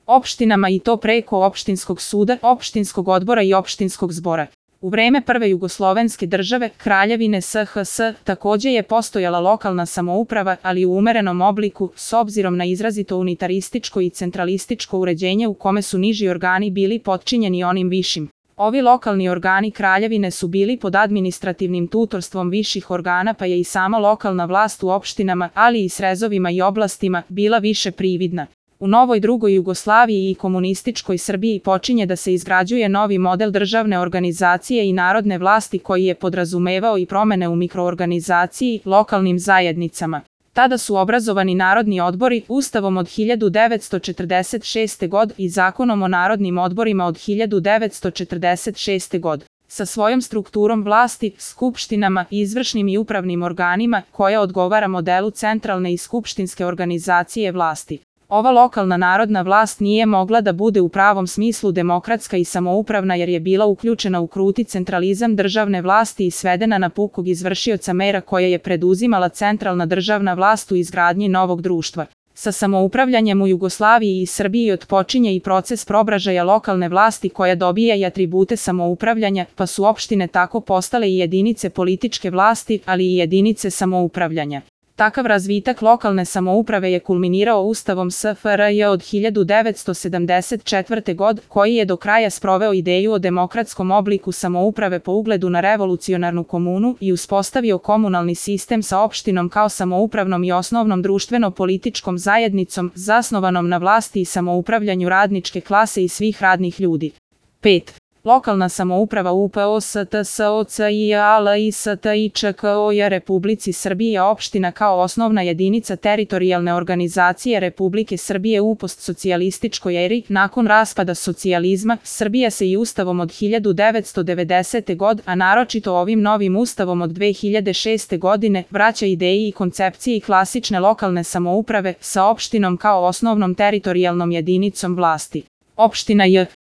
opštinama i to preko opštinskog suda, opštinskog odbora i opštinskog zbora. U vreme prve jugoslovenske države, Kraljevine SHS, takođe je postojala lokalna samouprava, ali u umerenom obliku, s obzirom na izrazito unitarističko i centralističko uređenje u kome su niži organi bili potčinjeni onim višim. Ovi lokalni organi Kraljevine su bili pod administrativnim tutorstvom viših organa, pa je i sama lokalna vlast u opštinama, ali i srezovima i oblastima, bila više prividna. U novoj drugoj Jugoslaviji i komunističkoj Srbiji počinje da se izgrađuje novi model državne organizacije i narodne vlasti koji je podrazumevao i promene u mikroorganizaciji, lokalnim zajednicama. Tada su obrazovani narodni odbori Ustavom od 1946. godine i Zakonom o narodnim odborima od 1946. godine. Sa svojom strukturom vlasti, skupštinama, izvršnim i upravnim organima, koja odgovara modelu centralne i skupštinske organizacije vlasti. Ova lokalna narodna vlast nije mogla da bude u pravom smislu demokratska i samoupravna jer je bila uključena u kruti centralizam državne vlasti i svedena na pukog izvršioca mera koje je preduzimala centralna državna vlast u izgradnji novog društva. Sa samoupravljanjem u Jugoslaviji i Srbiji otpočinje i proces probražaja lokalne vlasti koja dobija i atribute samoupravljanja, pa su opštine tako postale i jedinice političke vlasti, ali i jedinice samoupravljanja. Takav razvitak lokalne samouprave je kulminirao Ustavom SFRJ od 1974. godine, koji je do kraja sproveo ideju o demokratskom obliku samouprave po ugledu na revolucionarnu komunu i uspostavio komunalni sistem sa opštinom kao samoupravnom i osnovnom društveno-političkom zajednicom, zasnovanom na vlasti i samoupravljanju radničke klase i svih radnih ljudi. 5. Lokalna samouprava UPOSTSOCIALISTIČKOJ Republici Srbije opština kao osnovna jedinica teritorijalne organizacije Republike Srbije u postsocijalističkoj eri. Nakon raspada socijalizma, Srbija se i Ustavom od 1990. godine, a naročito ovim novim Ustavom od 2006. godine, vraća ideji i koncepcije klasične lokalne samouprave sa opštinom kao osnovnom teritorijalnom jedinicom vlasti. Opština J.